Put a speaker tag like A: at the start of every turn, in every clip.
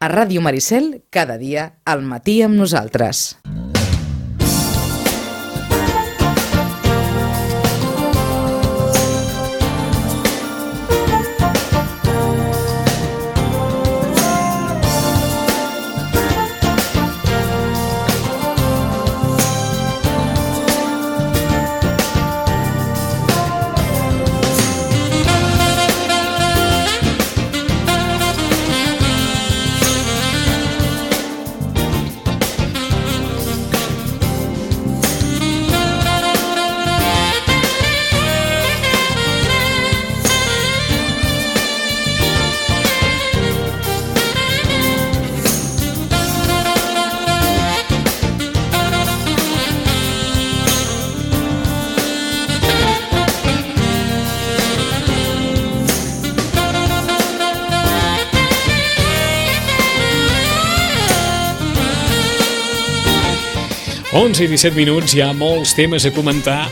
A: A Ràdio Maricel, cada dia, al matí amb nosaltres.
B: I 17 minuts, hi ha molts temes a comentar.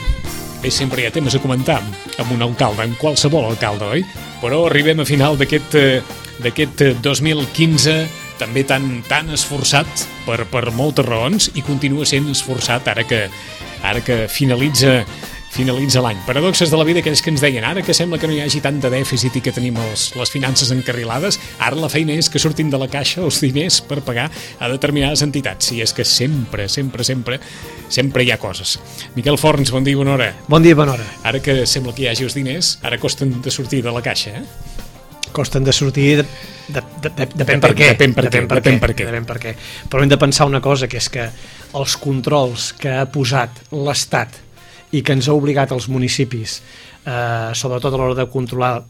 B: Bé, sempre hi ha temes a comentar amb un alcalde, amb qualsevol alcalde, oi? Però arribem a final d'aquest 2015 també tan esforçat per moltes raons i continua sent esforçat ara que finalitza l'any. Paradoxes de la vida, aquells que ens deien ara que sembla que no hi hagi tant de dèficit i que tenim les finances encarrilades, ara la feina és que surtin de la caixa els diners per pagar a determinades entitats. I és que sempre hi ha coses. Miquel Forns, bon dia i bona hora.
C: Bon dia i bona hora.
B: Ara que sembla que hi hagi els diners, ara costen de sortir de la caixa, eh?
C: Costen de sortir, depèn per què. Però hem de pensar una cosa, que és que els controls que ha posat l'Estat i que ens ha obligat als municipis, sobretot a l'hora de controlar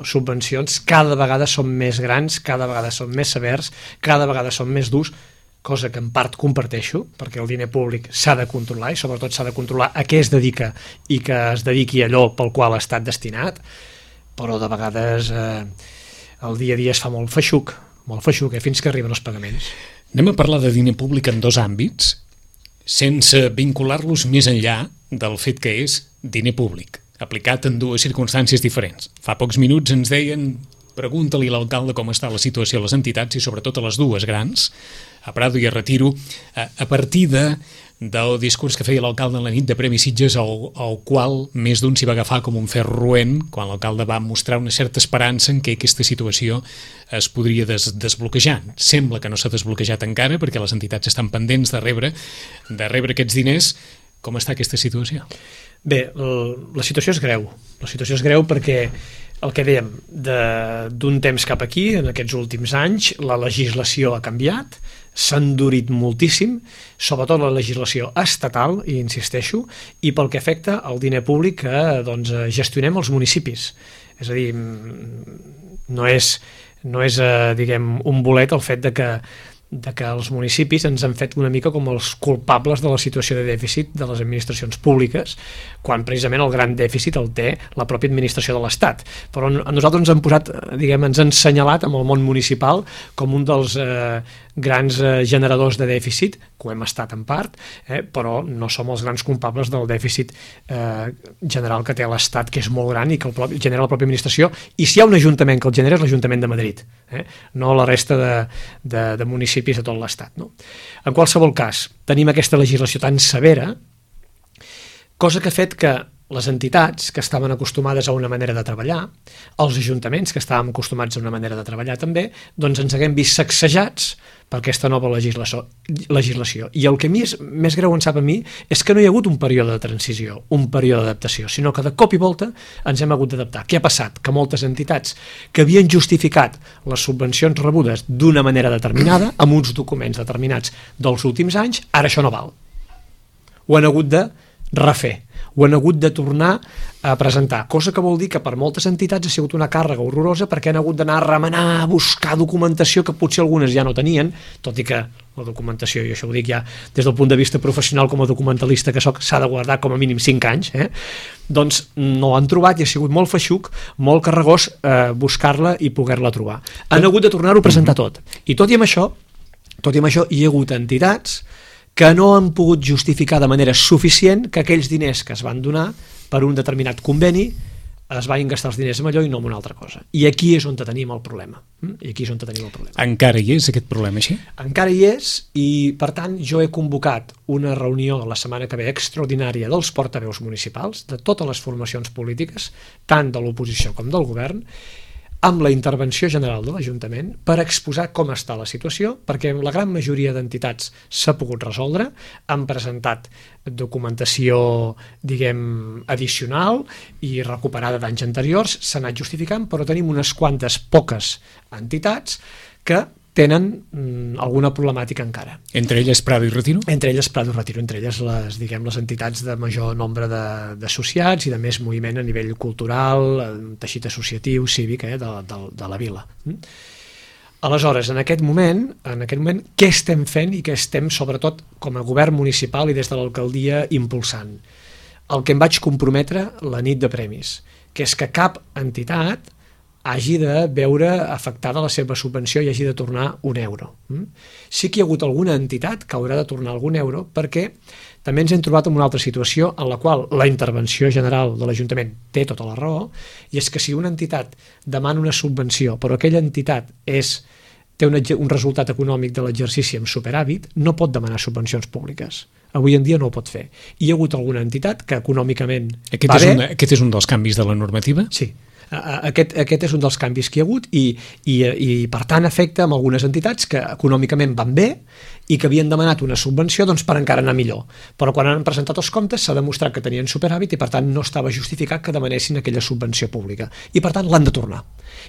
C: subvencions, cada vegada són més grans, cada vegada són més severs, cada vegada són més durs, cosa que en part comparteixo, perquè el diner públic s'ha de controlar i sobretot s'ha de controlar a què es dedica i que es dediqui a allò pel qual ha estat destinat, però de vegades el dia a dia es fa molt feixuc, fins que arriben els pagaments.
B: Anem a parlar de diner públic en dos àmbits, sense vincular-los més enllà del fet que és diner públic, aplicat en dues circumstàncies diferents. Fa pocs minuts ens deien, pregunta-li a l'alcalde com està la situació a les entitats i sobretot a les dues grans, a Prado i a Retiro, a partir del discurs que feia l'alcalde en la nit de Premi Sitges, al qual més d'un s'hi va agafar com un ferro roent, quan l'alcalde va mostrar una certa esperança en què aquesta situació es podria desbloquejar. Sembla que no s'ha desbloquejat encara, perquè les entitats estan pendents de rebre aquests diners. Com està aquesta situació?
C: Bé, la situació és greu. La situació és greu perquè el que dèiem, d'un temps cap aquí, en aquests últims anys, la legislació ha canviat, s'ha endurit moltíssim, sobretot la legislació estatal, i insisteixo, i pel que afecta al diner públic que gestionem els municipis. És a dir, no és diguem, un bolet el fet de que els municipis ens han fet una mica com els culpables de la situació de dèficit de les administracions públiques, quan precisament el gran dèficit el té la pròpia administració de l'Estat. Però a nosaltres ens han posat, diguem, ens han assenyalat amb el món municipal com un dels grans generadors de dèficit, que ho hem estat en part, però no som els grans culpables del dèficit general que té l'Estat, que és molt gran i que el genera la pròpia administració, i si hi ha un ajuntament que el genera és l'Ajuntament de Madrid, no la resta de municipis de tot l'Estat. No? En qualsevol cas, tenim aquesta legislació tan severa, cosa que ha fet que les entitats que estaven acostumades a una manera de treballar, els ajuntaments que estàvem acostumats a una manera de treballar també, doncs ens haguem vist sacsejats per aquesta nova legislació. I el que més greu em sap a mi és que no hi ha hagut un període de transició, un període d'adaptació, sinó que de cop i volta ens hem hagut d'adaptar. Què ha passat? Que moltes entitats que havien justificat les subvencions rebudes d'una manera determinada, amb uns documents determinats dels últims anys, ara això no val. Ho han hagut de refer, ho han hagut de tornar a presentar, cosa que vol dir que per moltes entitats ha sigut una càrrega horrorosa perquè han hagut d'anar a remenar, a buscar documentació que potser algunes ja no tenien, tot i que la documentació, i això ho dic ja des del punt de vista professional com a documentalista que soc, s'ha de guardar com a mínim 5 anys, doncs no l'han trobat i ha sigut molt feixuc, molt carregós buscar-la i poder-la trobar. Han hagut de tornar-ho a presentar tot. I tot i amb això hi ha hagut entitats que no han pogut justificar de manera suficient que aquells diners que es van donar per un determinat conveni es vagin gastar els diners en allò i no en una altra cosa. I aquí és on tenim el problema.
B: Encara hi és aquest problema així?
C: Encara hi és, i per tant jo he convocat una reunió la setmana que ve extraordinària dels portaveus municipals, de totes les formacions polítiques, tant de l'oposició com del govern, amb la intervenció general de l'Ajuntament per exposar com està la situació, perquè la gran majoria d'entitats s'ha pogut resoldre, han presentat documentació, diguem, addicional i recuperada d'anys anteriors, s'ha anat justificant, però tenim unes quantes poques entitats que tenen alguna problemàtica encara.
B: Entre elles Prado i Retiro?
C: Entre elles Prado i Retiro, entre elles les entitats de major nombre d'associats i de més moviment a nivell cultural, teixit associatiu, cívic, de la vila. Aleshores, en aquest moment, què estem fent i què estem, sobretot, com a govern municipal i des de l'alcaldia, impulsant? El que em vaig comprometre la nit de premis, que és que cap entitat hagi de veure afectada la seva subvenció i hagi de tornar €1. Sí que hi ha hagut alguna entitat que haurà de tornar algun euro perquè també ens hem trobat en una altra situació en la qual la intervenció general de l'Ajuntament té tota la raó, i és que si una entitat demana una subvenció però aquella entitat té un resultat econòmic de l'exercici amb superàvit, no pot demanar subvencions públiques. Avui en dia no ho pot fer. I hi ha hagut alguna entitat que econòmicament va bé.
B: Aquest és un dels canvis de la normativa?
C: Sí. Aquest és un dels canvis que hi ha hagut i per tant afecta amb algunes entitats que econòmicament van bé i que havien demanat una subvenció per encara anar millor, però quan han presentat els comptes s'ha demostrat que tenien superàvit i per tant no estava justificat que demanessin aquella subvenció pública i per tant l'han de tornar,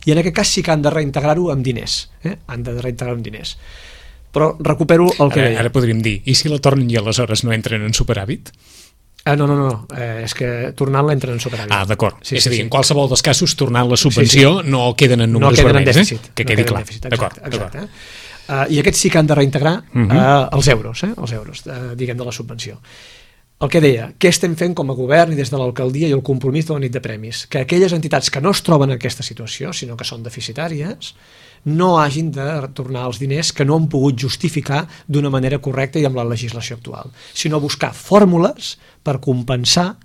C: i en aquest cas sí que han de reintegrar-ho amb diners, però recupero el que deia.
B: Ara podríem dir, i si la tornen i aleshores no entren en superàvit?
C: No, és que tornant-la entren en superàvit.
B: D'acord. És a dir, en qualsevol dels casos, tornant la subvenció no queden en números vermells, que quedi clar. D'acord.
C: I aquests sí que han de reintegrar els euros, diguem, de la subvenció. El que deia, què estem fent com a govern i des de l'alcaldia i el compromís de la nit de premis? Que aquelles entitats que no es troben en aquesta situació, sinó que són deficitàries, no hagin de tornar els diners que no han pogut justificar d'una manera correcta i amb la legislació actual, sinó buscar fórmules per compensar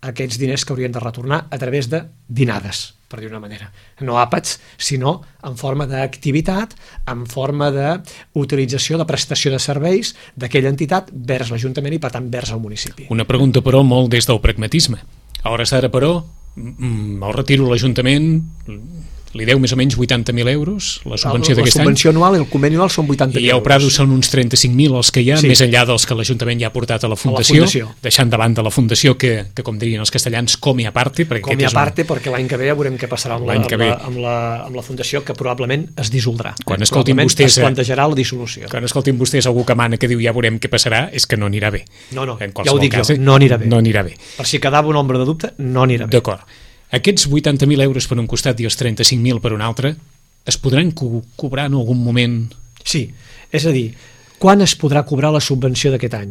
C: aquests diners que haurien de retornar a través de dinades, per dir una manera. No àpats, sinó en forma d'activitat, en forma d'utilització de prestació de serveis d'aquella entitat vers l'Ajuntament i, per tant, vers el municipi.
B: Una pregunta, però, molt des del pragmatisme. A hores d'ara, però, el Retiro l'Ajuntament li deu més o menys 80.000 euros la subvenció d'aquest any.
C: La subvenció anual i el conveni anual són 80.000 euros.
B: I el Prado són uns 35.000 els que hi ha, més enllà dels que l'Ajuntament ja ha portat a la Fundació, deixant davant de la Fundació que com dirien els castellans, com i a parte.
C: Com i a parte, perquè l'any que ve ja veurem què passarà amb la Fundació, que probablement es dissoldrà.
B: Quan escoltin vostès,
C: es plantejarà la dissolució.
B: Quan escoltin vostès algú que mana que diu ja veurem què passarà, és que no anirà bé.
C: No, ja ho dic jo, no anirà bé. Per si quedava una ombra de dubte, no anirà bé.
B: D'acord. Aquests 80.000 euros per un costat i els 35.000 per un altre es podran cobrar en algun moment?
C: Sí, és a dir, quan es podrà cobrar la subvenció d'aquest any?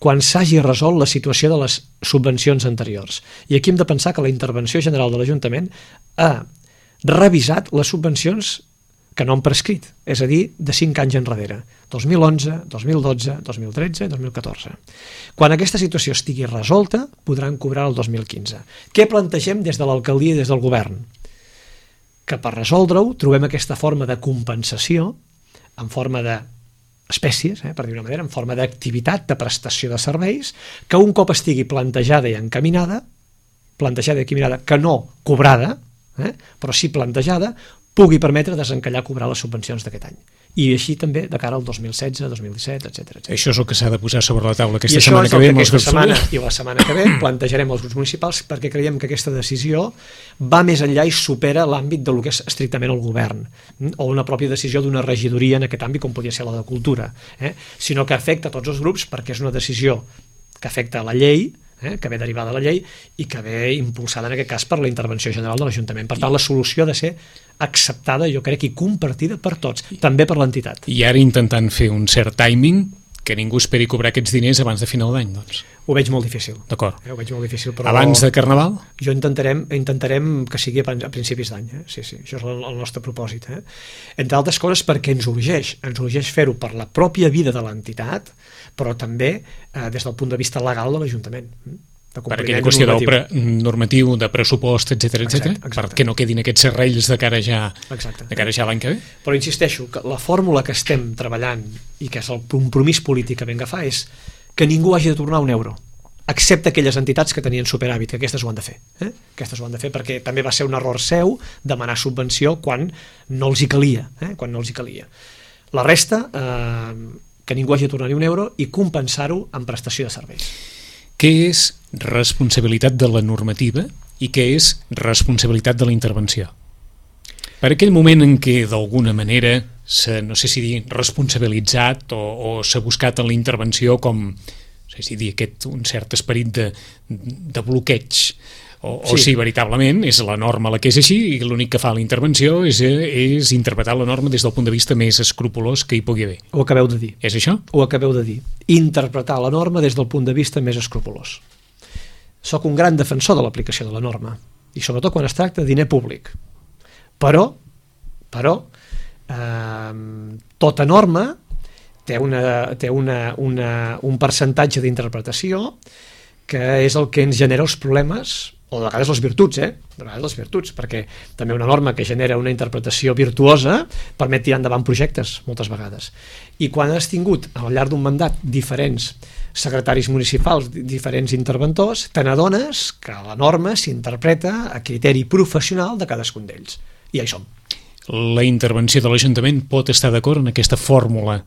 C: Quan s'hagi resolt la situació de les subvencions anteriors. I aquí hem de pensar que la intervenció general de l'Ajuntament ha revisat les subvencions que no han prescrit, és a dir, de 5 anys enrere, 2011, 2012, 2013 i 2014. Quan aquesta situació estigui resolta, podran cobrar el 2015. Què plantegem des de l'alcaldia i des del govern? Que per resoldre-ho trobem aquesta forma de compensació en forma d'espècies, per dir una manera, en forma d'activitat de prestació de serveis, que un cop estigui plantejada i encaminada, que no cobrada, però sí plantejada, pugui permetre desencallar cobrar les subvencions d'aquest any. I així també de cara al 2016, 2017, etc.
B: Això és el que s'ha de posar sobre la taula aquesta setmana que ve.
C: I la setmana que ve plantejarem els grups municipals perquè creiem que aquesta decisió va més enllà i supera l'àmbit del que és estrictament el govern o una pròpia decisió d'una regidoria en aquest àmbit com podria ser la de Cultura, sinó que afecta tots els grups perquè és una decisió que afecta la llei, que ve derivada de la llei i que ve impulsada en aquest cas per la intervenció general de l'Ajuntament. Per tant, la solució ha de ser acceptada, jo crec, i compartida per tots, també per l'entitat.
B: I ara intentant fer un cert timing, que ningú esperi cobrar aquests diners abans de final d'any, doncs.
C: Ho veig molt difícil.
B: D'acord.
C: Ho veig molt difícil, però...
B: Abans de Carnaval?
C: Jo intentarem que sigui a principis d'any, Sí, això és el nostre propòsit. Entre altres coses perquè ens urgeix fer-ho per la pròpia vida de l'entitat, però també des del punt de vista legal de l'Ajuntament.
B: per aquella qüestió normatiu, de pressupost, etc perquè no quedin aquests serrells de cara ja l'any que ve.
C: Però insisteixo, que la fórmula que estem treballant i que és el compromís polític que vam agafar és que ningú hagi de tornar un euro, excepte aquelles entitats que tenien superàvit, que aquestes ho han de fer. Aquestes ho han de fer perquè també va ser un error seu demanar subvenció quan no els hi calia. La resta, que ningú hagi de tornar ni un euro i compensar-ho amb prestació de serveis.
B: Què és responsabilitat de la normativa i què és responsabilitat de la intervenció? Per aquell moment en què d'alguna manera s'ha, no sé si dir, responsabilitzat o s'ha buscat en la intervenció com, no sé si dir, un cert esperit de bloqueig, o si veritablement és la norma la que és així i l'únic que fa la intervenció és interpretar la norma des del punt de vista més escrupolós que hi pugui haver.
C: Ho acabeu de dir.
B: És això?
C: Ho acabeu de dir. Interpretar la norma des del punt de vista més escrupolós. Soc un gran defensor de l'aplicació de la norma, i sobretot quan es tracta de diner públic. Però tota norma té un percentatge d'interpretació que és el que ens genera els problemes, o de vegades les virtuts, perquè també una norma que genera una interpretació virtuosa permet tirar endavant projectes moltes vegades. I quan has tingut al llarg d'un mandat diferents secretaris municipals, diferents interventors, te n'adones que la norma s'interpreta a criteri professional de cadascun d'ells. I ja hi som.
B: La intervenció de l'Ajuntament pot estar d'acord en aquesta fórmula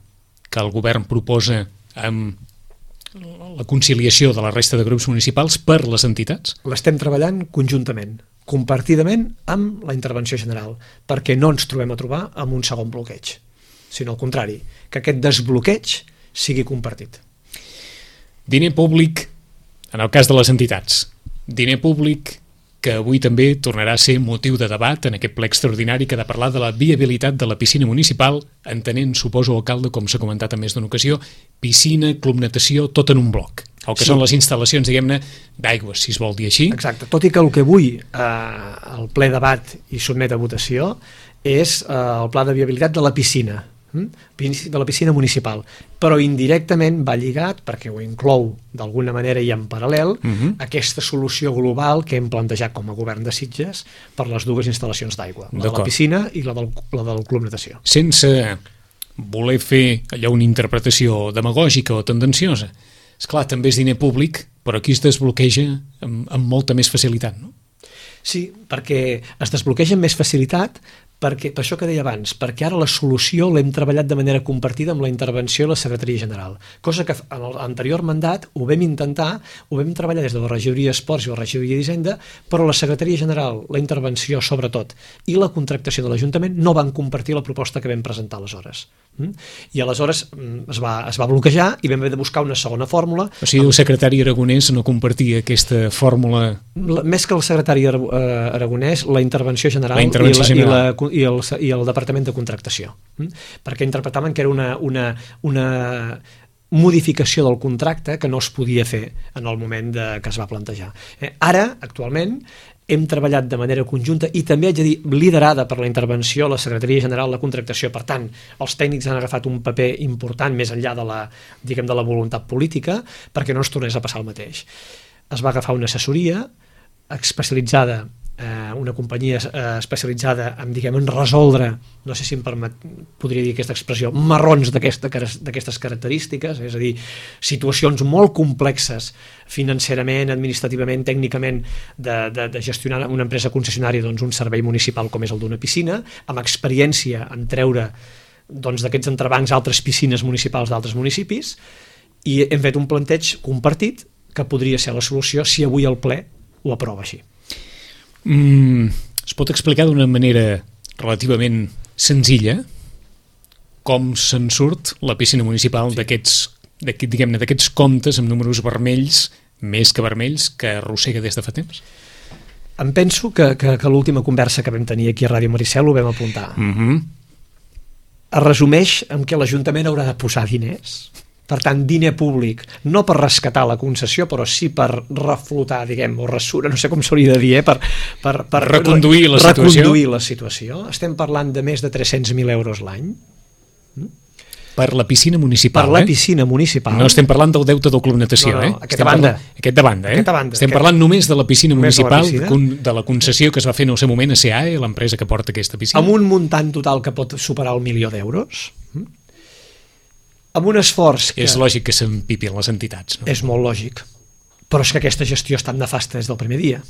B: que el govern proposa amb la conciliació de la resta de grups municipals per les entitats?
C: L'estem treballant conjuntament, compartidament amb la intervenció general, perquè no ens trobem a trobar amb un segon bloqueig, sinó al contrari, que aquest desbloqueig sigui compartit.
B: Diner públic en el cas de les entitats, diner públic que avui també tornarà a ser motiu de debat en aquest ple extraordinari que ha de parlar de la viabilitat de la piscina municipal, entenent, suposo, alcalde, com s'ha comentat en més d'una ocasió, piscina, club natació, tot en un bloc. El que són les instal·lacions, diguem-ne, d'aigües, si es vol dir així.
C: Exacte, tot i que el que avui el ple debat i sotmet a votació és el pla de viabilitat de la piscina municipal, però indirectament va lligat, perquè ho inclou d'alguna manera i en paral·lel, aquesta solució global que hem plantejat com a govern de Sitges per les dues instal·lacions d'aigua, la de la piscina i la del club natació.
B: Sense voler fer allò una interpretació demagògica o tendenciosa, esclar, també és diner públic, però aquí es desbloqueja amb molta més facilitat, no?
C: Sí, perquè es desbloqueja amb més facilitat, per això que deia abans, perquè ara la solució l'hem treballat de manera compartida amb la intervenció de la Secretaria General, cosa que en l'anterior mandat ho vam intentar, ho vam treballar des de la Regidoria d'Esports i la Regidoria d'Hisenda, però la Secretaria General, la intervenció sobretot, i la contractació de l'Ajuntament no van compartir la proposta que vam presentar aleshores. I aleshores es va bloquejar i vam haver de buscar una segona fòrmula.
B: O sigui, el secretari Aragonès no compartia aquesta fórmula?
C: Més que el secretari Aragonès, la intervenció general i el Departament de Contractació, perquè interpretaven que era una modificació del contracte que no es podia fer en el moment que es va plantejar. Ara, actualment, hem treballat de manera conjunta i també haig de dir liderada per la intervenció la Secretaria General de Contractació. Per tant, els tècnics han agafat un paper important més enllà de la voluntat política perquè no es tornés a passar el mateix. Es va agafar una assessoria especialitzada, una companyia especialitzada en resoldre, no sé si podria dir aquesta expressió, marrons d'aquestes característiques, és a dir, situacions molt complexes financerament, administrativament, tècnicament, de gestionar una empresa concessionària un servei municipal com és el d'una piscina, amb experiència en treure d'aquests entrebancs altres piscines municipals d'altres municipis, i hem fet un planteig compartit que podria ser la solució si avui el ple ho aprova així.
B: Es pot explicar d'una manera relativament senzilla com se'n surt la piscina municipal d'aquests comptes amb números vermells, més que vermells, que arrossega des de fa temps?
C: Em penso que l'última conversa que vam tenir aquí a Ràdio Maricel ho vam apuntar. Es resumeix en què l'Ajuntament haurà de posar diners. Per tant, diner públic, no per rescatar la concessió, però sí per reflotar, o ressura, no sé com s'hauria de dir, per
B: reconduir la situació.
C: Estem parlant de més de 300.000 euros l'any.
B: Per la piscina municipal,
C: Per la piscina municipal.
B: No estem parlant del deute del Club Natació,
C: No,
B: Aquest de banda,
C: Aquesta banda.
B: Estem parlant només de la piscina
C: Només de la
B: municipal,
C: piscina.
B: de la concessió que es va fer en el seu moment a CAE, l'empresa que porta aquesta piscina.
C: Amb un muntant total que pot superar el 1.000.000 d'euros, amb un esforç que...
B: És lògic que s'empipin les entitats, no?
C: És molt lògic. Però és que aquesta gestió ha estat nefasta des del primer dia.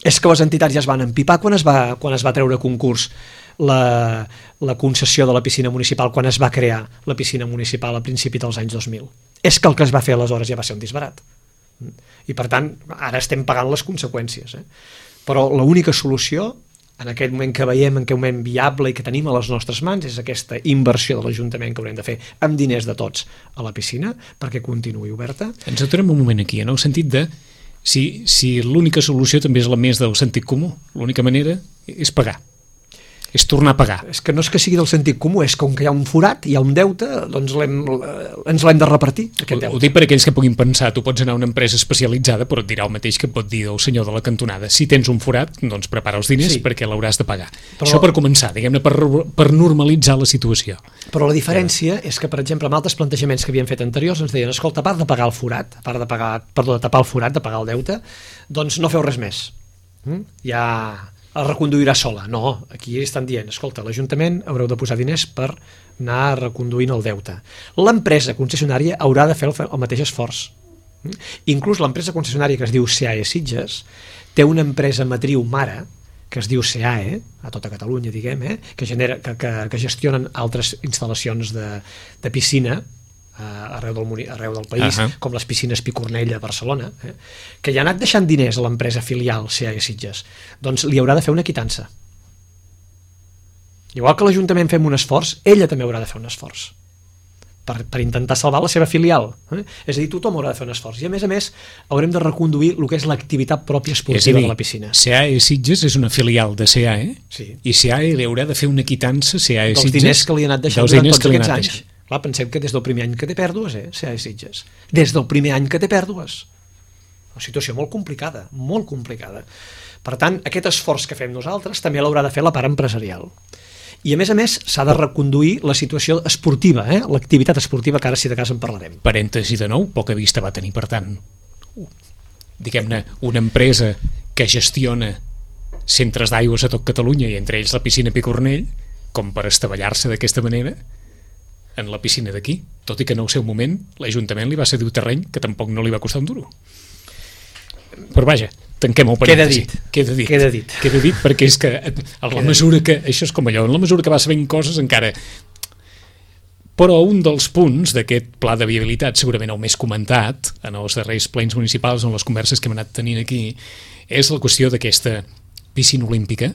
C: És que les entitats ja es van empipar quan es va treure a concurs la concessió de la piscina municipal, quan es va crear la piscina municipal a principi dels anys 2000. És que el que es va fer aleshores ja va ser un disbarat. I per tant, ara estem pagant les conseqüències. Però l'única solució, en aquest moment que veiem, en aquest moment viable i que tenim a les nostres mans, és aquesta inversió de l'Ajuntament que haurem de fer amb diners de tots a la piscina perquè continuï oberta.
B: Ens aturem un moment aquí, en el sentit de si l'única solució també és la més del sentit comú, l'única manera és pagar, és tornar a pagar.
C: És que no és que sigui del sentit comú, és que com que hi ha un forat, hi ha un deute, doncs ens l'hem de repartir, aquest deute.
B: Ho dic per aquells que puguin pensar, tu pots anar a una empresa especialitzada, però et dirà el mateix que pot dir el senyor de la cantonada. Si tens un forat, doncs prepara els diners perquè l'hauràs de pagar. Això per començar, diguem-ne, per normalitzar la situació.
C: Però la diferència és que, per exemple, amb altres plantejaments que havien fet anteriors ens deien, escolta, a part de pagar el forat, a part de tapar el forat, de pagar el deute, doncs no feu res més. Ja es reconduirà sola. No, aquí estan dient, escolta, l'Ajuntament haureu de posar diners per anar reconduint el deute. L'empresa concessionària haurà de fer el mateix esforç. Inclús l'empresa concessionària que es diu CAE Sitges té una empresa matriu mare que es diu CAE, a tota Catalunya, diguem, que gestionen altres instal·lacions de piscina arreu del país, com les piscines Picornell a Barcelona, que ja ha anat deixant diners a l'empresa filial CAE Sitges, doncs li haurà de fer una quitança. Igual que l'Ajuntament fem un esforç, ella també haurà de fer un esforç per intentar salvar la seva filial. És a dir, tothom haurà de fer un esforç. I a més, haurem de reconduir el que és l'activitat pròpia esportiva de la piscina.
B: CAE Sitges és una filial de CAE, i CAE li haurà de fer una quitança CAE Sitges
C: dels diners que li han anat deixant durant tots aquests anys. Clar, pensem que des del primer any que té pèrdues, CAE Sitges. Des del primer any que té pèrdues. Una situació molt complicada, molt complicada. Per tant, aquest esforç que fem nosaltres també l'haurà de fer la part empresarial. I a més, s'ha de reconduir la situació esportiva, l'activitat esportiva, que ara si de cas en parlarem.
B: Parèntesi de nou, poca vista va tenir, per tant, diguem-ne, una empresa que gestiona centres d'aigües a tot Catalunya i entre ells la piscina Picornell, com per estavellar-se d'aquesta manera en la piscina d'aquí, tot i que en el seu moment l'Ajuntament li va cedir un terreny que tampoc no li va costar un duro. Però vaja, tanquem el parèntesi. Queda dit perquè és que en la mesura que, això és com allò, en la mesura que va sabent coses encara... Però un dels punts d'aquest pla de viabilitat, segurament el més comentat en els darrers plens municipals, en les converses que hem anat tenint aquí, és la qüestió d'aquesta piscina olímpica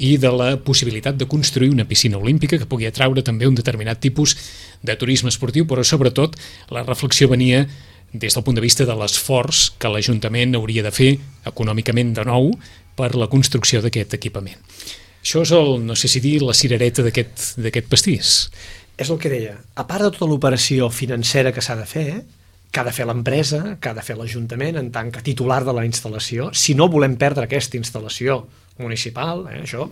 B: i de la possibilitat de construir una piscina olímpica que pugui atraure també un determinat tipus de turisme esportiu, però sobretot la reflexió venia des del punt de vista de l'esforç que l'Ajuntament hauria de fer econòmicament de nou per la construcció d'aquest equipament. Això és no sé si dir, la cirereta d'aquest pastís.
C: És el que deia. A part de tota l'operació financera que s'ha de fer, que ha de fer l'empresa, que ha de fer l'Ajuntament en tant que titular de la instal·lació, si no volem perdre aquesta instal·lació municipal, això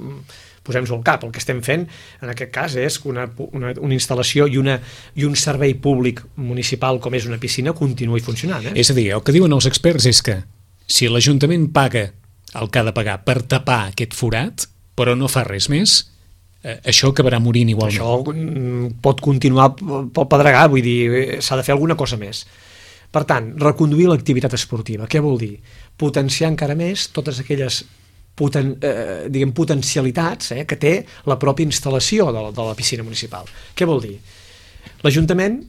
C: posem-nos al cap. El que estem fent en aquest cas és que una instal·lació i un servei públic municipal com és una piscina continuï funcionant.
B: És a dir, el que diuen els experts és que si l'Ajuntament paga el que ha de pagar per tapar aquest forat, però no fa res més, això acabarà morint igualment.
C: Això pot continuar pel pedregar, vull dir, s'ha de fer alguna cosa més. Per tant, reconduir l'activitat esportiva. Què vol dir? Potenciar encara més totes aquelles potencialitats que té la pròpia instal·lació de la piscina municipal. Què vol dir? L'Ajuntament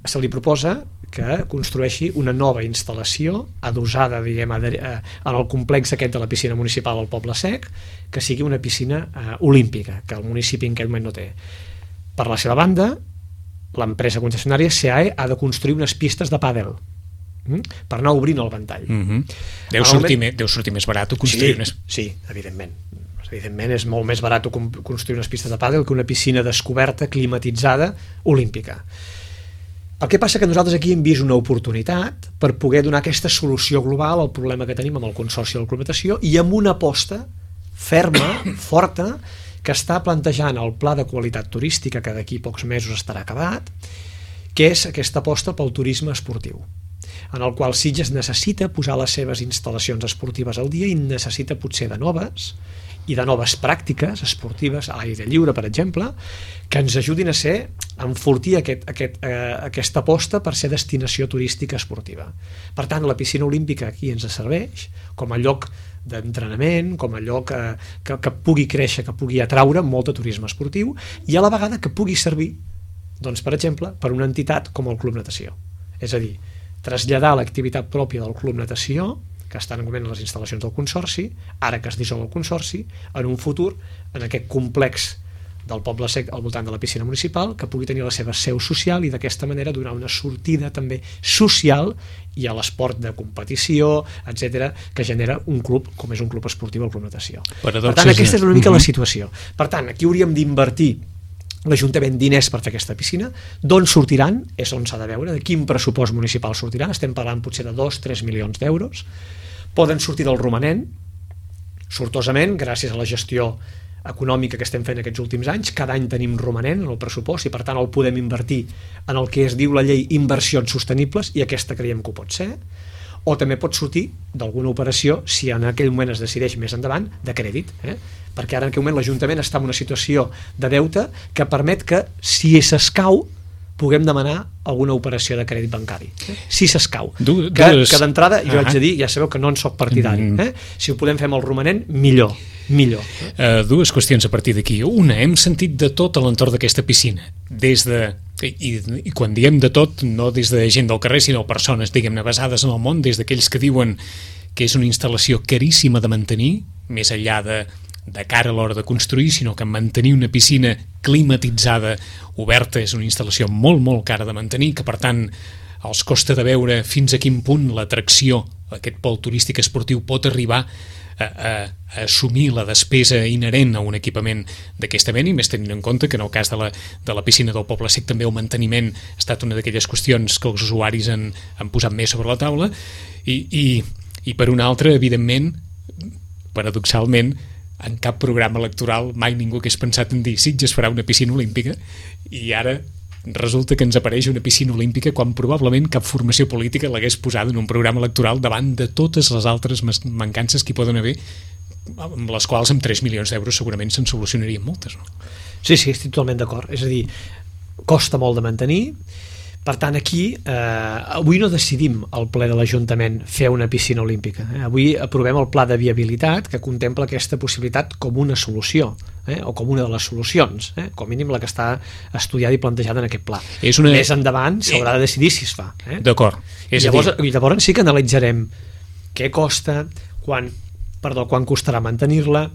C: se li proposa que construeixi una nova instal·lació adossada, diguem, en el complex aquest de la piscina municipal al Poble Sec, que sigui una piscina olímpica, que el municipi en aquest moment no té. Per la seva banda, l'empresa concessionària CAE ha de construir unes pistes de pàdel per anar obrint el ventall.
B: Deu sortir més barat construir unes...
C: Sí, evidentment. Evidentment és molt més barat construir unes pistes de pàdel que una piscina descoberta, climatitzada, olímpica. El que passa que nosaltres aquí hem vist una oportunitat per poder donar aquesta solució global al problema que tenim amb el Consorci de la Club Natació i amb una aposta ferma, forta, que està plantejant el pla de qualitat turística, que d'aquí pocs mesos estarà acabat, que és aquesta aposta pel turisme esportiu, en el qual Sitges necessita posar les seves instal·lacions esportives al dia i necessita potser de noves pràctiques esportives a l'aire lliure, per exemple, que ens ajudin a enfortir aquesta aposta per ser destinació turística esportiva. Per tant, la piscina olímpica aquí ens serveix com a lloc d'entrenament, com a lloc que pugui créixer, que pugui atraure molt de turisme esportiu i a la vegada que pugui servir, doncs, per exemple, per una entitat com el Club Natació. És a dir, traslladar l'activitat pròpia del Club Natació, que estan en moment les instal·lacions del Consorci, ara que es dissol el Consorci, en un futur, en aquest complex del Poble Sec al voltant de la piscina municipal, que pugui tenir la seva seu social i d'aquesta manera donar una sortida també social i a l'esport de competició, etc, que genera un club, com és un club esportiu, el Club Natació. Per tant, aquesta és una mica la situació. Per tant, aquí hauríem d'invertir l'Ajuntament diners per fer aquesta piscina. D'on sortiran? És on s'ha de veure, de quin pressupost municipal sortiran. Estem parlant potser de 2-3 milions d'euros. Poden sortir del romanent, sortosament, gràcies a la gestió econòmica que estem fent aquests últims anys. Cada any tenim romanent en el pressupost i per tant el podem invertir en el que es diu la llei inversions sostenibles, i aquesta creiem que ho pot ser. O també pot sortir d'alguna operació, si en aquell moment es decideix més endavant, de crèdit, perquè ara en aquell moment l'Ajuntament està en una situació de deute que permet que, si s'escau, puguem demanar alguna operació de crèdit bancari, si s'escau. Que d'entrada, jo haig de dir, ja sabeu que no en soc partidari, si ho podem fer amb el romanent, millor.
B: Dues qüestions a partir d'aquí. Una, hem sentit de tot a l'entorn d'aquesta piscina, i quan diem de tot, no des de gent del carrer, sinó persones, diguem-ne, basades en el món, des d'aquells que diuen que és una instal·lació caríssima de mantenir, més enllà de cara a l'hora de construir, sinó que mantenir una piscina climatitzada, oberta, és una instal·lació molt, molt cara de mantenir, que per tant els costa de veure fins a quin punt l'atracció, aquest pol turístic esportiu, pot arribar a assumir la despesa inherent a un equipament d'aquesta mena, i més tenint en compte que en el cas de la piscina del Poble Sec també el manteniment ha estat una d'aquelles qüestions que els usuaris han posat més sobre la taula, i per una altra, evidentment, paradoxalment, en cap programa electoral mai ningú hagués pensat en dir Sitges farà una piscina olímpica, i ara resulta que ens apareix una piscina olímpica quan probablement cap formació política l'hagués posada en un programa electoral davant de totes les altres mancances que hi poden haver, amb les quals amb 3 milions d'euros segurament se'n solucionarien moltes, no?
C: Sí, estic totalment d'acord. És a dir, costa molt de mantenir. Per tant, aquí, avui no decidim al ple de l'Ajuntament fer una piscina olímpica. Avui aprovem el pla de viabilitat que contempla aquesta possibilitat com una solució, o com una de les solucions, com a mínim la que està estudiada i plantejada en aquest pla. Més endavant s'haurà de decidir si es fa.
B: D'acord.
C: I llavors sí que analitzarem què costa, quan costarà mantenir-la,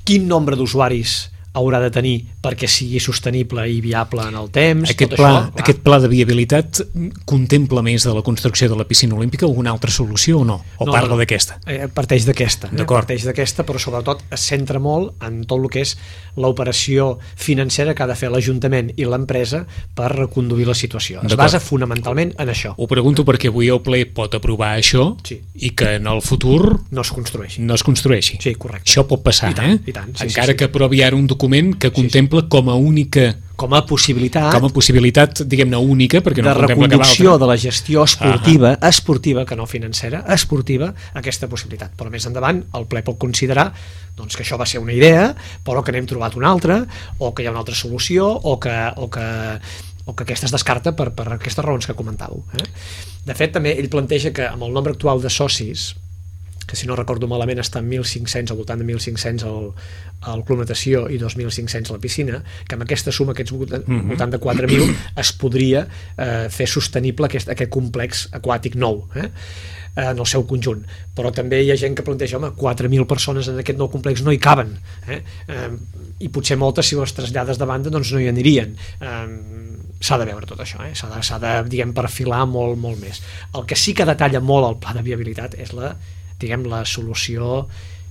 C: quin nombre d'usuaris haurà de tenir perquè sigui sostenible i viable en el temps.
B: Aquest pla de viabilitat contempla més de la construcció de la piscina olímpica alguna altra solució o no? O parla d'aquesta?
C: Parteix d'aquesta. Parteix d'aquesta, però sobretot es centra molt en tot el que és l'operació financera que ha de fer l'Ajuntament i l'empresa per reconduir la situació. Es basa fonamentalment en això.
B: Ho pregunto perquè avui el ple pot aprovar això i que en el futur
C: no es construeixi. Sí, correcte.
B: Això pot passar,
C: I tant.
B: Encara que aprovi ara un document que contempla com a possibilitat, diguem-ne, única, perquè no
C: de reconducció de la gestió esportiva, que no financera, esportiva, aquesta possibilitat. Però més endavant el ple pot considerar doncs, que això va ser una idea, però que n'hem trobat una altra, o que hi ha una altra solució, o que aquesta es descarta per aquestes raons que comentàveu. De fet, també ell planteja que amb el nombre actual de socis, que si no recordo malament està en 1.500, al voltant de 1.500 al Club Natació i 2.500 a la piscina, que amb aquesta suma, aquests voltant de 4.000, es podria fer sostenible aquest complex aquàtic nou, en el seu conjunt. Però també hi ha gent que planteja, 4.000 persones en aquest nou complex no hi caben, i potser moltes, si les trasllades de banda, doncs no hi anirien. S'ha de veure tot això, s'ha de, diguem, perfilar molt, molt més. El que sí que detalla molt el pla de viabilitat és la solució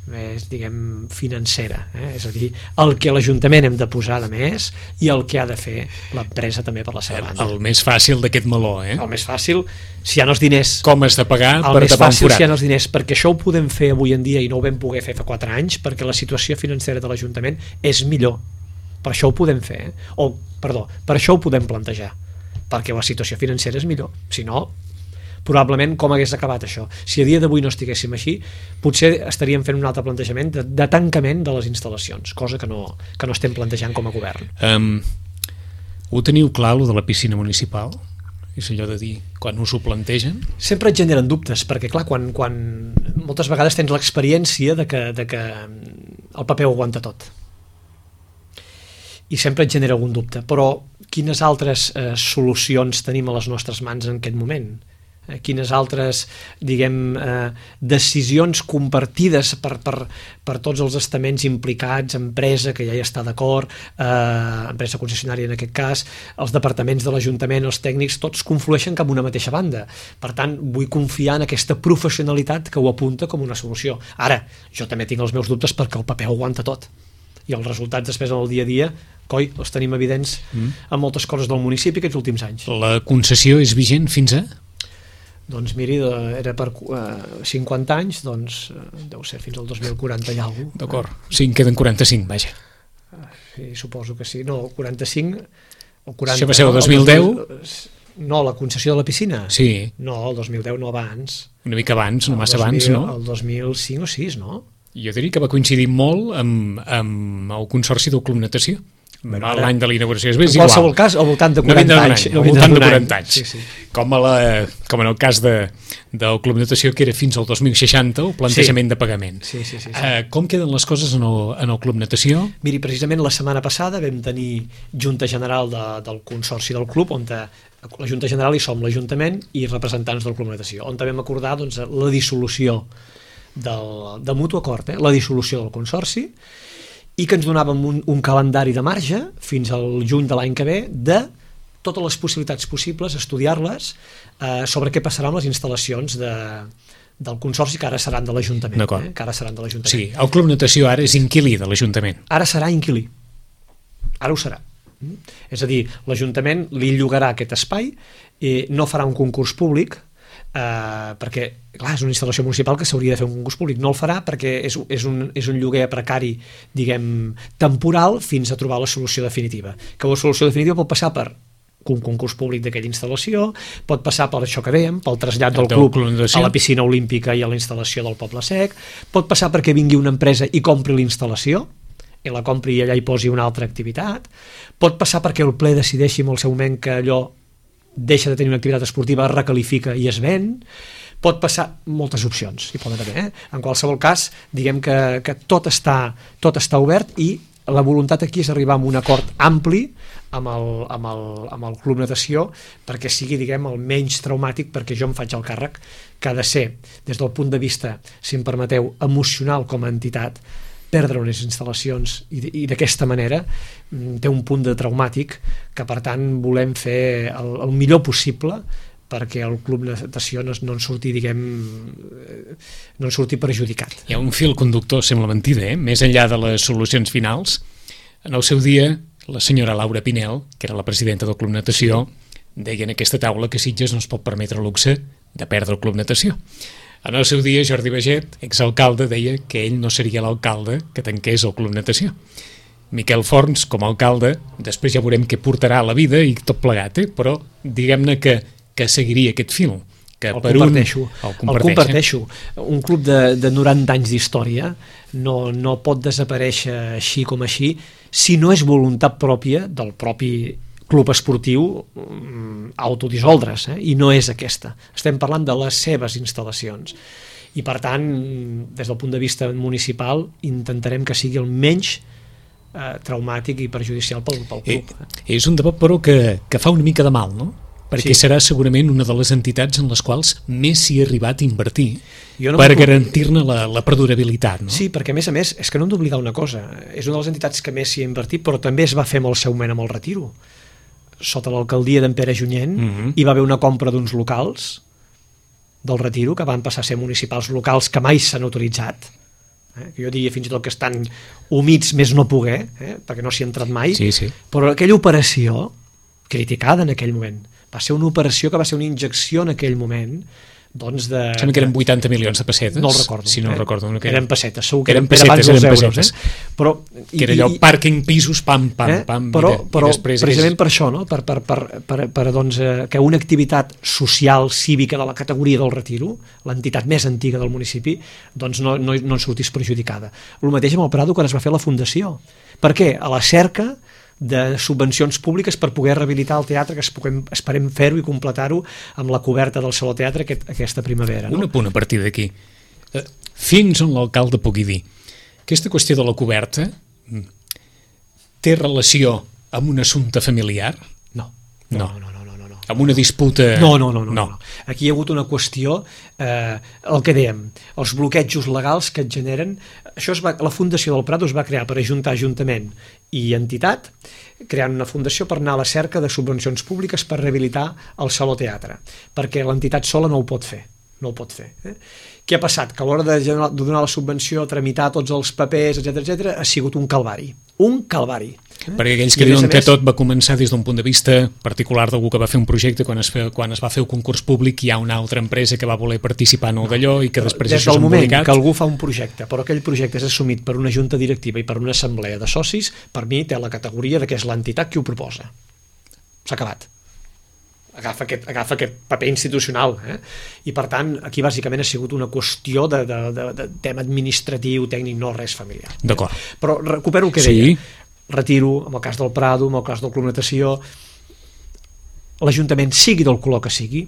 C: més, diguem, financera, és a dir, el que l'Ajuntament hem de posar de més i el que ha de fer l'empresa també per la seva banda.
B: El més fàcil d'aquest meló,
C: El més fàcil, si hi ha els diners...
B: Com has de pagar per tapar un forat?
C: El més fàcil si hi ha els diners, perquè això ho podem fer avui en dia i no ho vam poder fer fa 4 anys, perquè la situació financera de l'Ajuntament és millor. Per això ho podem fer, per això ho podem plantejar, perquè la situació financera és millor. Si no, probablement com hagués acabat això. Si a dia d'avui no estiguéssim així, potser estaríem fent un altre plantejament de tancament de les instal·lacions, cosa que no estem plantejant com a govern.
B: Ho teniu clar, lo de la piscina municipal? És allò de dir, quan us ho plantegen?
C: Sempre et generen dubtes, perquè clar, quan moltes vegades tens l'experiència de que el paper ho aguanta tot. I sempre et genera algun dubte, però quines altres solucions tenim a les nostres mans en aquest moment? Quines altres, diguem, decisions compartides per tots els estaments implicats, empresa que ja hi està d'acord, empresa concessionària en aquest cas, els departaments de l'Ajuntament, els tècnics, tots conflueixen cap a una mateixa banda. Per tant, vull confiar en aquesta professionalitat que ho apunta com una solució. Ara, jo també tinc els meus dubtes perquè el paper ho aguanta tot. I els resultats després en el dia a dia, els tenim evidents en moltes coses del municipi aquests últims anys.
B: La concessió és vigent fins a?
C: Doncs miri, era per 50 anys, doncs deu ser fins al 2040 i alguna cosa.
B: D'acord, sí, en queden 45, vaja.
C: Sí, suposo que sí. No, 45 o 40...
B: Això va ser el 2010?
C: No, la concessió de la piscina?
B: Sí.
C: No, el 2010 no abans.
B: Una mica abans, no massa abans, no?
C: El 2005 o 6, no?
B: Jo diria que va coincidir molt amb el Consorci del Club Natació. L'any de l'inauguració és igual.
C: En qualsevol cas, al voltant de 40 anys.
B: Al voltant de 40 anys.
C: Sí, sí.
B: Com en el cas del Club Natació, que era fins al 2060, el plantejament de pagament.
C: Sí.
B: Com queden les coses en el Club Natació?
C: Miri, precisament la setmana passada vam tenir Junta General del Consorci del Club, on la Junta General hi som l'Ajuntament i representants del Club Natació, on vam acordar la dissolució de mutu acord, la dissolució del Consorci, i que ens donàvem un calendari de marge fins al juny de l'any que ve de totes les possibilitats possibles, estudiar-les sobre què passarà amb les instal·lacions del Consorci que ara seran de l'Ajuntament.
B: Sí, el Club Natació ara és inquilí de l'Ajuntament.
C: Ara serà inquilí. Ara ho serà. És a dir, l'Ajuntament li llogarà aquest espai i no farà un concurs públic perquè, clar, és una instal·lació municipal que s'hauria de fer un concurs públic, no el farà perquè és un lloguer precari, diguem, temporal fins a trobar la solució definitiva, que la solució definitiva pot passar per un concurs públic d'aquella instal·lació, pot passar per això que dèiem, pel trasllat del club a la piscina olímpica i a la instal·lació del Poble Sec, pot passar perquè vingui una empresa i compri la instal·lació i la compri i allà hi posi una altra activitat, pot passar perquè el ple decideixi en el seu moment que allò deixa de tenir una activitat esportiva, es recalifica i es ven, pot passar moltes opcions, hi poden haver. En qualsevol cas, diguem que tot està obert i la voluntat aquí és arribar a un acord ampli amb el Club Natació perquè sigui, diguem, el menys traumàtic, perquè jo em faig el càrrec que ha de ser, des del punt de vista, si em permeteu, emocional com a entitat, perdre unes instal·lacions i d'aquesta manera té un punt de traumàtic que per tant volem fer el millor possible perquè el Club Natació no en surti, diguem, no en surti perjudicat.
B: Hi ha un fil conductor, sembla mentida, més enllà de les solucions finals. En el seu dia, la senyora Laura Pinel, que era la presidenta del Club Natació, deia en aquesta taula que Sitges no es pot permetre el luxe de perdre el Club Natació. En el seu dia, Jordi Baget, exalcalde, deia que ell no seria l'alcalde que tanqués el Club Natació. Miquel Forns, com a alcalde, després ja veurem què portarà a la vida i tot plegat, però diguem-ne que seguiria aquest fil.
C: El comparteixo. Un club de 90 anys d'història no pot desaparèixer així com així si no és voluntat pròpia del propi club esportiu autodissoldre's, i no és aquesta. Estem parlant de les seves instal·lacions. I per tant, des del punt de vista municipal, intentarem que sigui el menys traumàtic i perjudicial pel club.
B: És un debat, però, que fa una mica de mal, no? Perquè serà segurament una de les entitats en les quals més s'hi ha arribat a invertir per garantir-ne la perdurabilitat. No?
C: Sí, perquè a més, és que no hem d'oblidar una cosa. És una de les entitats que més s'hi ha invertit, però també es va fer amb el seu moment amb el Retiro. Sota l'alcaldia d'en Pere Junyent hi va haver una compra d'uns locals del Retiro que van passar a ser municipals, locals que mai s'han utilitzat que jo diria fins i tot que estan humits més no poder, perquè no s'hi ha entrat mai,
B: Sí.
C: però aquella operació, criticada en aquell moment, va ser una operació que va ser una injecció en aquell moment, doncs de...
B: Sembla que eren 80 milions de pessetes.
C: No el recordo.
B: Si no recordo.
C: Eren pessetes, segur que
B: eren
C: era abans dels euros. Però,
B: que era allò, pàrquing, pisos, pam,
C: però
B: i després
C: precisament per això, no? per doncs, que una activitat social, cívica de la categoria del Retiro, l'entitat més antiga del municipi, doncs no en sortís perjudicada. El mateix amb el Prado quan es va fer la fundació. Per què? A la cerca de subvencions públiques per poder rehabilitar el teatre, que esperem fer-ho i completar-ho amb la coberta del Saló Teatre aquesta primavera.
B: Un apunt a partir d'aquí. Fins on l'alcalde pugui dir. Aquesta qüestió de la coberta té relació amb un assumpte familiar?
C: No.
B: Amb una disputa...
C: No. Aquí hi ha hagut una qüestió, el que dèiem, els bloquejos legals que et generen... La Fundació del Prado es va crear per ajuntar Ajuntament i entitat, creant una fundació per anar a la cerca de subvencions públiques per rehabilitar el Saló Teatre, perquè l'entitat sola no ho pot fer. Què ha passat? Que a l'hora de donar la subvenció, tramitar tots els papers, etc ha sigut un calvari.
B: Perquè aquells que diuen que tot va començar des d'un punt de vista particular d'algú que va fer un projecte, quan es va fer un concurs públic hi ha una altra empresa que va voler participar en el d'allò i que després
C: això és embolicat. Des del moment que algú fa un projecte, però aquell projecte és assumit per una junta directiva i per una assemblea de socis, per mi té la categoria de que és l'entitat qui ho proposa. S'ha acabat. Agafa aquest paper institucional, i per tant aquí bàsicament ha sigut una qüestió de tema administratiu, tècnic, no res familiar.
B: D'acord.
C: Però recupero el que deia. Retiro, en el cas del Prado, en el cas del Club Natació, l'Ajuntament, sigui del color que sigui,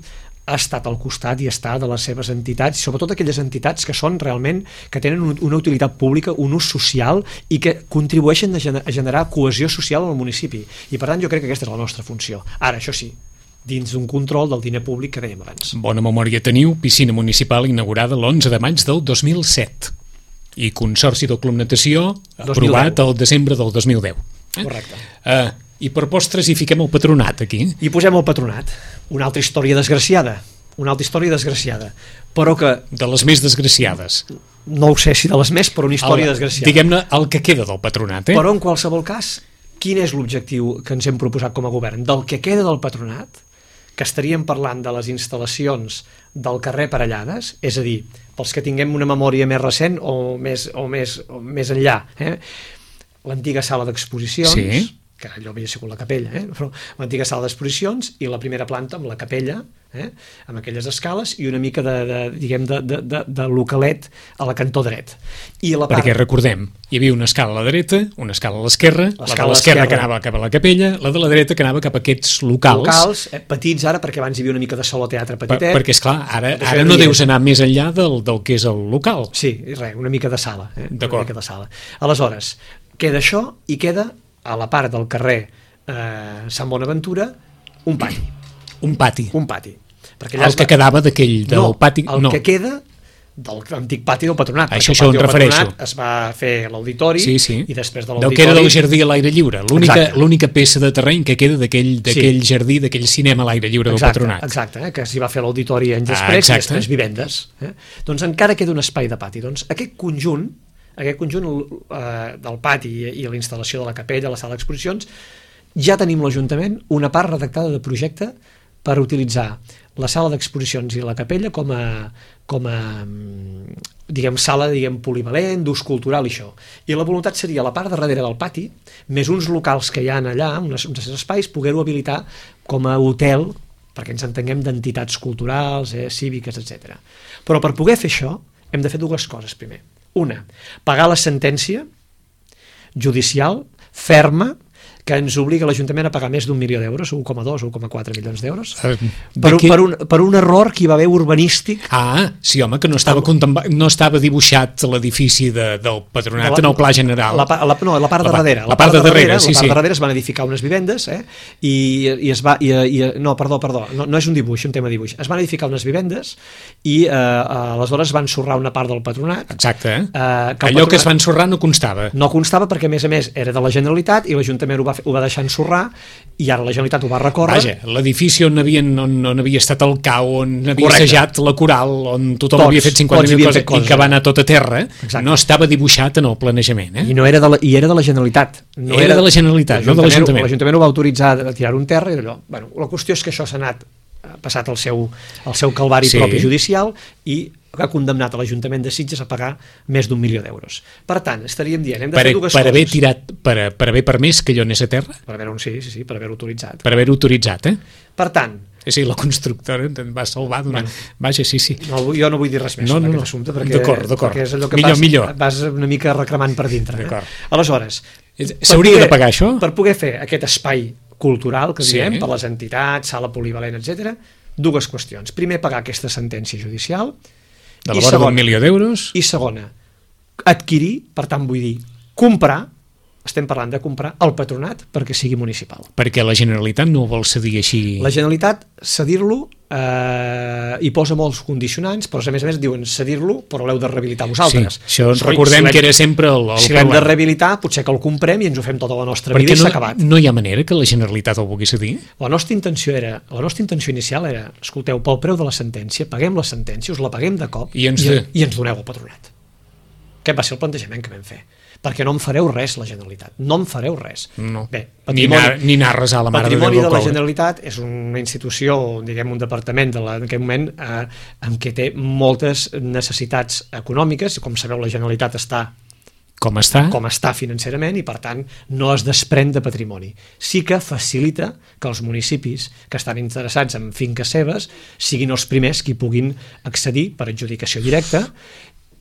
C: ha estat al costat i està de les seves entitats, sobretot aquelles entitats que són realment, que tenen una utilitat pública, un ús social i que contribueixen a generar cohesió social al municipi. I per tant jo crec que aquesta és la nostra funció. Ara, això sí, dins d'un control del diner públic que dèiem abans.
B: Bona memòria teniu, piscina municipal inaugurada l'11 de maig del 2007 i Consorci del Club Natació aprovat el desembre del 2010.
C: Correcte.
B: I per postres hi fiquem el patronat aquí.
C: I posem el patronat. Una altra història desgraciada, però que...
B: De les més desgraciades.
C: No ho sé si de les més, però una història desgraciada.
B: Diguem-ne el que queda del patronat.
C: Però en qualsevol cas, quin és l'objectiu que ens hem proposat com a govern? Del que queda del patronat, que estaríem parlant de les instal·lacions del carrer Parellades, és a dir, pels que tinguem una memòria més recent o més enllà, l'antiga sala d'exposicions, que allò havia sigut la capella, però l'antiga sala d'exposicions i la primera planta amb la capella, amb aquelles escales i una mica de localet a la cantó dret.
B: Perquè recordem, hi havia una escala a la dreta, una escala a l'esquerra, la de l'esquerra que anava cap a la capella, la de la dreta que anava cap a aquests locals
C: petits ara, perquè abans hi havia una mica de sala teatre petitet.
B: Perquè esclar, ara no deus anar més enllà del que és el local.
C: Sí, una mica de sala.
B: D'acord.
C: Aleshores, queda això i queda a la part del carrer Sant Bonaventura un pati.
B: El que quedava del pati...
C: El que queda de l'antic pati del Patronat.
B: Això em refereixo.
C: Es va fer l'auditori i després de l'auditori...
B: Del que era del jardí a l'aire lliure. L'única peça de terreny que queda d'aquell jardí, d'aquell cinema a l'aire lliure del Patronat.
C: Exacte, que s'hi va fer l'auditori anys després i després vivendes. Doncs encara queda un espai de pati. Doncs aquest conjunt del pati i la instal·lació de la capella, la sala d'exposicions, ja tenim l'Ajuntament una part redactada de projecte per utilitzar la sala d'exposicions i la capella com a sala polivalent, d'ús cultural i això. I la voluntat seria la part de darrere del pati, més uns locals que hi ha allà, uns espais, poder-ho habilitar com a hotel, perquè ens entenguem d'entitats culturals, cíviques, etc. Però per poder fer això hem de fer dues coses primer. Una, pagar la sentència judicial ferma que ens obliga l'Ajuntament a pagar més d'1 milió d'euros, 1,2 o 1,4 milions d'euros, per un error que hi va haver urbanístic.
B: Sí, home, que no estava dibuixat l'edifici del Patronat en el pla general.
C: La part de darrere. La part de darrere es van edificar unes vivendes i es va... No, perdó, no és un dibuix, un tema de dibuix. Es van edificar unes vivendes i aleshores van ensorrar una part del Patronat.
B: Exacte. Allò que es va ensorrar no constava.
C: No constava perquè, a més, era de la Generalitat i l'Ajuntament ho va ho va deixar ensorrar i ara la Generalitat ho va recórrer.
B: Vaja, l'edifici on havia estat el cau, on havia
C: Correcte.
B: assajat la coral, on tothom
C: Tots,
B: havia fet 50.000
C: havien
B: coses
C: fet coses,
B: i que va anar tot a terra,
C: Exacte.
B: no estava dibuixat en el planejament.
C: I no era era de la Generalitat. No
B: Era de la Generalitat, no de l'Ajuntament.
C: L'Ajuntament ho va autoritzar a tirar un terra i allò. Bueno, la qüestió és que això s'ha anat passat el seu calvari propi judicial i ha condemnat a l'Ajuntament de Sitges a pagar més d'1 milió d'euros. Per tant, estaríem dient, hem de fer dues coses.
B: Haver tirat, per haver permès que allò anés a terra?
C: Per haver-ho, sí, per haver-ho autoritzat.
B: Per haver-ho autoritzat,
C: Per tant...
B: Sí, la constructora em va salvar d'una... Vaja, sí.
C: No, jo no vull dir res més sobre aquest assumpte, perquè és allò que
B: millor.
C: vas una mica reclamant per dintre. Aleshores...
B: S'hauria de pagar això?
C: Per poder fer aquest espai cultural, que diem, per les entitats, sala polivalent, etc. dues qüestions. Primer, pagar aquesta sentència judicial,
B: de la vora d'1 milió d'euros.
C: I segona, adquirir, per tant vull dir, comprar, estem parlant de comprar el patronat perquè sigui municipal.
B: Perquè la Generalitat no ho vol cedir així...
C: La Generalitat, cedir-lo, hi posa molts condicionants, però a més diuen cedir-lo, però l'heu de rehabilitar vosaltres.
B: Sí, això recordem que era sempre el problema.
C: Si l'hem de rehabilitar, potser que el comprem i ens ho fem tota la nostra vida i s'ha acabat.
B: No hi ha manera que la Generalitat el vulgui cedir?
C: La nostra intenció inicial era, escolteu, pel preu de la sentència, paguem la sentència, us la paguem de cop i ens doneu el patronat. Aquest va ser el plantejament que vam fer. Perquè no em fareu res, la Generalitat. No em fareu res.
B: No. Bé, ni anar a resar la Mare de Déu del Coure.
C: Patrimoni de la Generalitat és una institució, diguem, un departament en aquest moment en què té moltes necessitats econòmiques. Com sabeu, la Generalitat està com està financerament i, per tant, no es desprèn de patrimoni. Sí que facilita que els municipis que estan interessats en finques seves siguin els primers que hi puguin accedir per adjudicació directa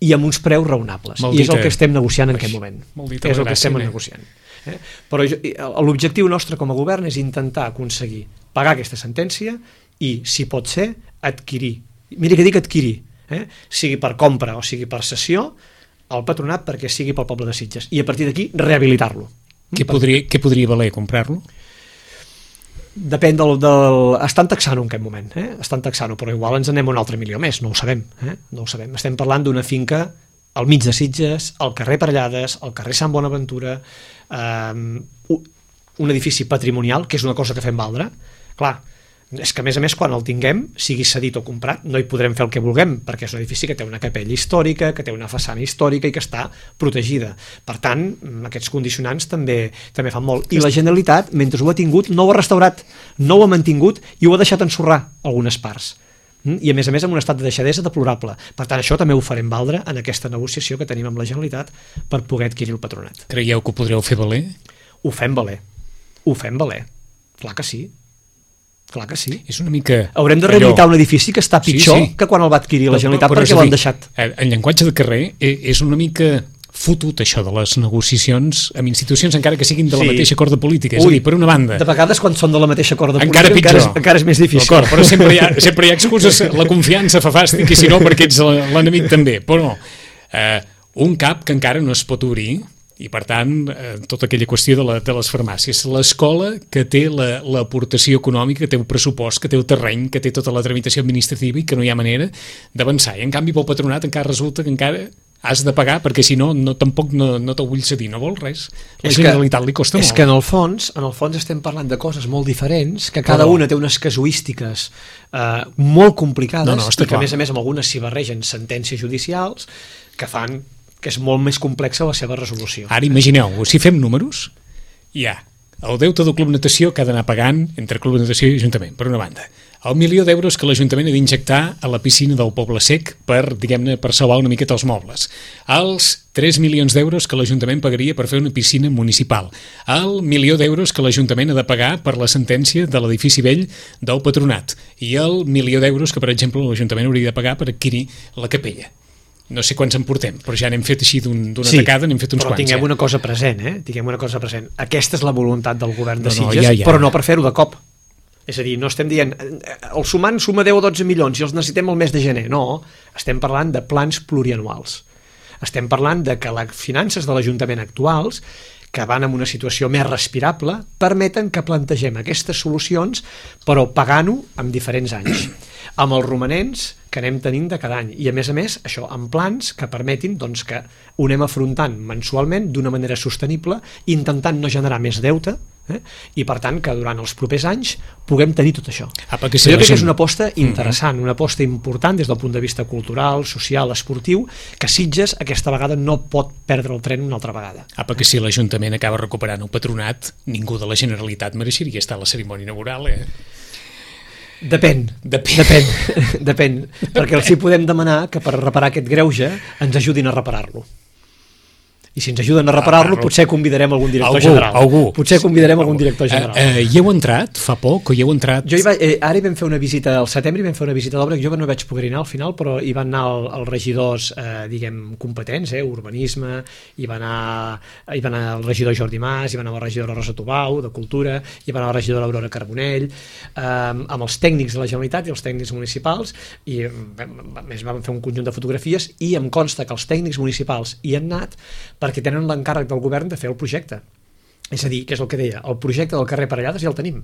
C: i amb uns preus raonables. I és el que estem negociant en aquest moment. És el que estem negociant. Però l'objectiu nostre com a govern és intentar aconseguir pagar aquesta sentència i, si pot ser, adquirir. Mira que dic adquirir, sigui per compra o sigui per cessió, el patronat perquè sigui pel poble de Sitges. I a partir d'aquí, rehabilitar-lo.
B: Què podria valer comprar-lo?
C: Depèn estan taxant-ho en aquest moment, estan taxant-ho, però igual ens anem un altre milió més, no ho sabem. Estem parlant d'una finca al mig de Sitges, al carrer Parellades, al carrer Sant Bonaventura, un edifici patrimonial, que és una cosa que fem valdre. Clar, és que a més, quan el tinguem, sigui cedit o comprat, no hi podrem fer el que vulguem, perquè és un edifici que té una capella històrica, que té una façana històrica i que està protegida. Per tant, aquests condicionants també fan molt. I la Generalitat, mentre ho ha tingut, no ho ha restaurat, no ho ha mantingut i ho ha deixat ensorrar algunes parts. I a més en un estat de deixadesa deplorable. Per tant, això també ho farem valdre en aquesta negociació que tenim amb la Generalitat per poder adquirir el patronat.
B: Creieu que ho podreu fer valer?
C: Ho fem valer. Clar que sí. Clar que sí.
B: És una mica...
C: Haurem de rehabilitar un edifici que està pitjor que quan el va adquirir la Generalitat perquè l'han deixat.
B: En llenguatge de carrer és una mica fotut això de les negociacions amb institucions encara que siguin de la mateixa corda política. És a dir, per una banda...
C: De vegades quan són de la mateixa corda política encara és més difícil.
B: D'acord, però sempre hi ha excuses. La confiança fa fàstic i si no perquè ets l'enemic també. Però un cap que encara no es pot obrir i, per tant, tota aquella qüestió de les farmàcies. L'escola que té l'aportació econòmica, que té el pressupost, que té el terreny, que té tota la tramitació administrativa i que no hi ha manera d'avançar. I, en canvi, pel patronat encara resulta que encara has de pagar perquè, si no, tampoc no te'l vull cedir, no vol res. La Generalitat li costa molt.
C: És que, en el fons estem parlant de coses molt diferents, que cada una té unes casuístiques molt complicades i que, a més, amb algunes s'hi barregen sentències judicials que fan que és molt més complexa la seva resolució.
B: Ara imagineu, si fem números, hi ha el deute del Club Natació que ha d'anar pagant entre Club Natació i Ajuntament, per una banda. El 1 milió d'euros que l'Ajuntament ha d'injectar a la piscina del Poble Sec per, diguem-ne, per salvar una miqueta els mobles. Els 3 milions d'euros que l'Ajuntament pagaria per fer una piscina municipal. El 1 milió d'euros que l'Ajuntament ha de pagar per la sentència de l'edifici vell del Patronat. I el 1 milió d'euros que, per exemple, l'Ajuntament hauria de pagar per adquirir la capella. No sé quants en portem, però ja n'hem fet així d'una tacada, n'hem fet uns quants.
C: Però tinguem una cosa present, Aquesta és la voluntat del govern de Sitges, però no per fer-ho de cop. És a dir, no estem dient el sumant suma 10 o 12 milions i els necessitem el mes de gener. No, estem parlant de plans plurianuals. Estem parlant de que les finances de l'Ajuntament actuals, que van en una situació més respirable, permeten que plantegem aquestes solucions, però pagant-ho en diferents anys, amb els romanents que anem tenint de cada any. I, a més, això amb plans que permetin que ho anem afrontant mensualment d'una manera sostenible, intentant no generar més deute I per tant que durant els propers anys puguem tenir tot això.
B: Perquè
C: jo crec que és una aposta interessant, una aposta important des del punt de vista cultural, social, esportiu, que Sitges aquesta vegada no pot perdre el tren una altra vegada.
B: Perquè si l'Ajuntament acaba recuperant el patronat, ningú de la Generalitat mereixeria estar a la cerimònia inaugural,
C: Depèn, perquè els hi podem demanar que per reparar aquest greuge ens ajudin a reparar-lo. I si ens ajuden a reparar-lo, potser convidarem algun director general. Potser convidarem algun director general.
B: Hi heu entrat fa poc o hi heu entrat?
C: Ara hi vam fer una visita, al setembre hi vam fer una visita d'obra, que jo no vaig poder anar al final, però hi van anar els regidors, diguem, competents, urbanisme, hi va anar el regidor Jordi Mas, hi va anar la regidora Rosa Tubau, de Cultura, hi va anar la regidora Aurora Carbonell, amb els tècnics de la Generalitat i els tècnics municipals, i més vam fer un conjunt de fotografies, i em consta que els tècnics municipals hi han anat perquè tenen l'encàrrec del govern de fer el projecte. És a dir, que és el que deia, el projecte del carrer Parellades ja el tenim.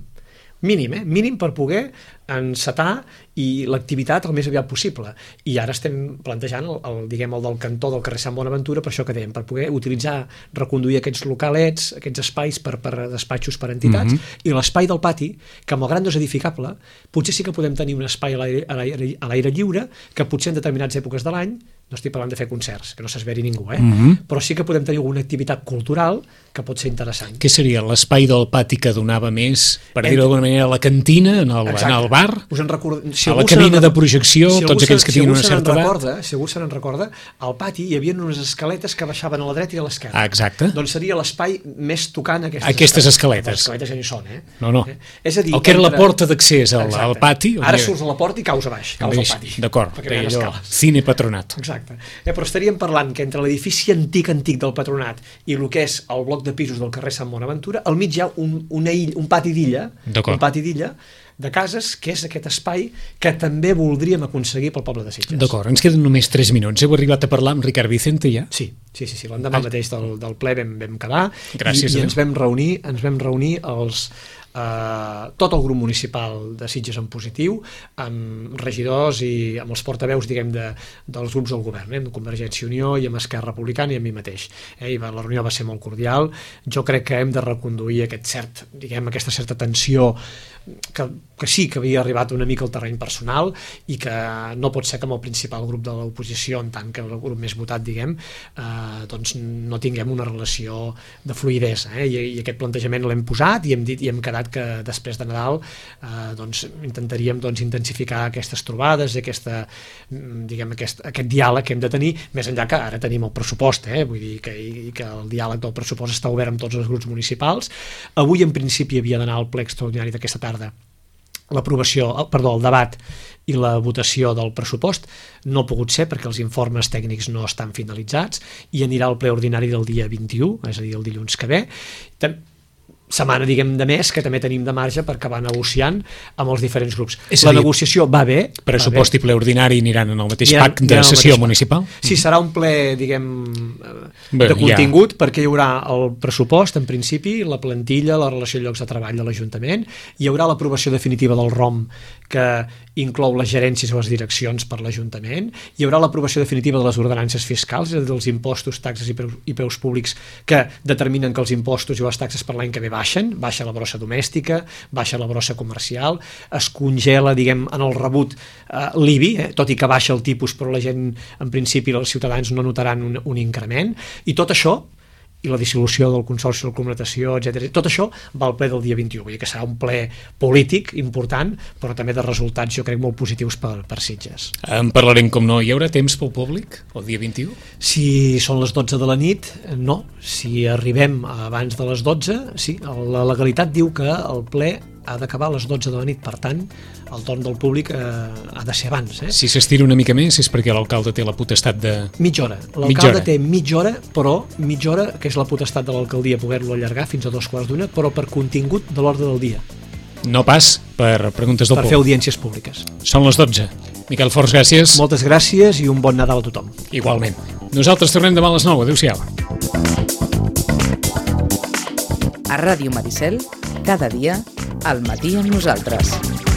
C: Mínim per poder encetar i l'activitat el més aviat possible. I ara estem plantejant el del cantó del carrer Sant Bonaventura, per això que dèiem, per poder utilitzar, reconduir aquests localets, aquests espais per despatxos per entitats, i l'espai del pati, que malgrat no és edificable, potser sí que podem tenir un espai a l'aire lliure, que potser en determinades èpoques de l'any, no estic parlant de fer concerts, que no s'esveri ningú, però sí que podem tenir alguna activitat cultural que pot ser interessant.
B: Què seria l'espai del pati que donava més, per dir-ho d'alguna manera, a la cantina, en el bar, a la cabina de projecció, tots aquells que tinguin una certa edat?
C: Si algú se n'en recorda, al pati hi havia unes escaletes que baixaven a la dreta i a l'esquerra.
B: Exacte.
C: Doncs seria l'espai més tocant
B: aquestes escaletes.
C: Les escaletes ja ni són,
B: No.
C: És a dir,
B: el que era la porta d'accés al pati.
C: Ara surts a la porta i caus a baix, caus al pati.
B: D'acord, cine patronat.
C: Exacte. Però estaríem parlant que entre l'edifici antic del patronat i el que és el bloc de pisos del carrer Sant Bonaventura, al mig hi ha un pati d'illa, de cases, que és aquest espai que també voldríem aconseguir pel poble de Sitges.
B: D'acord, ens queden només 3 minuts. Heu arribat a parlar amb Ricard Vicente ja?
C: Sí. L'endemà mateix del ple vam quedar.
B: Gràcies,
C: i ens vam reunir tot el grup municipal de Sitges en positiu, amb regidors i amb els portaveus, diguem, dels grups del govern, amb Convergència i Unió i amb Esquerra Republicana i amb mi mateix. I la reunió va ser molt cordial. Jo crec que hem de reconduir aquesta certa tensió que sí que havia arribat una mica al terreny personal i que no pot ser que amb el principal grup de l'oposició, en tant que el grup més votat, diguem, doncs no tinguem una relació de fluïdesa. I aquest plantejament l'hem posat i hem dit i hem quedat que després de Nadal doncs intentaríem intensificar aquestes trobades i aquest diàleg que hem de tenir, més enllà que ara tenim el pressupost, vull dir que el diàleg del pressupost està obert amb tots els grups municipals. Avui en principi havia d'anar al ple extraordinari d'aquesta tarda el debat i la votació del pressupost. No ha pogut ser perquè els informes tècnics no estan finalitzats i anirà al ple ordinari del dia 21, és a dir, el dilluns que ve. Setmana, diguem, de mes, que també tenim de marge per acabar negociant amb els diferents grups. La negociació va bé.
B: Pressupost i ple ordinari aniran en el mateix pacte de sessió municipal?
C: Sí, serà un ple, diguem, de contingut, perquè hi haurà el pressupost, en principi, la plantilla, la relació de llocs de treball de l'Ajuntament, hi haurà l'aprovació definitiva del ROM, que inclou les gerències o les direccions per l'Ajuntament, hi haurà l'aprovació definitiva de les ordenances fiscals, és a dir, dels impostos, taxes i preus públics que determinen que els impostos i les taxes per l'any que ve baixa la brossa domèstica, baixa la brossa comercial, es congela, diguem, en el rebut l'IBI, tot i que baixa el tipus, però la gent, en principi, els ciutadans no notaran un increment, i tot això, i la dissolució del Consorci de Comunicació, etc. Tot això va al ple del dia 21, vull dir que serà un ple polític important, però també de resultats, jo crec, molt positius per Sitges.
B: En parlarem, com no. Hi haurà temps pel públic el dia 21?
C: Si són les 12 de la nit, no. Si arribem abans de les 12, sí. La legalitat diu que el ple ha d'acabar a les 12 de la nit, per tant, el torn del públic ha de ser abans.
B: Si s'estira una mica més és perquè l'alcalde té la potestat de...
C: Mitja hora. L'alcalde té mitja hora, però mitja hora, que és la potestat de l'alcaldia, poder-lo allargar fins a 2:15, però per contingut de l'ordre del dia.
B: No pas per preguntes del públic.
C: Per fer audiències públiques.
B: Són les 12. Miquel Forns, gràcies.
C: Moltes gràcies i un bon Nadal a tothom.
B: Igualment. Nosaltres tornem demà a les 9. Adéu-siau.
A: A Ràdio Maricel, cada dia, al matí amb nosaltres.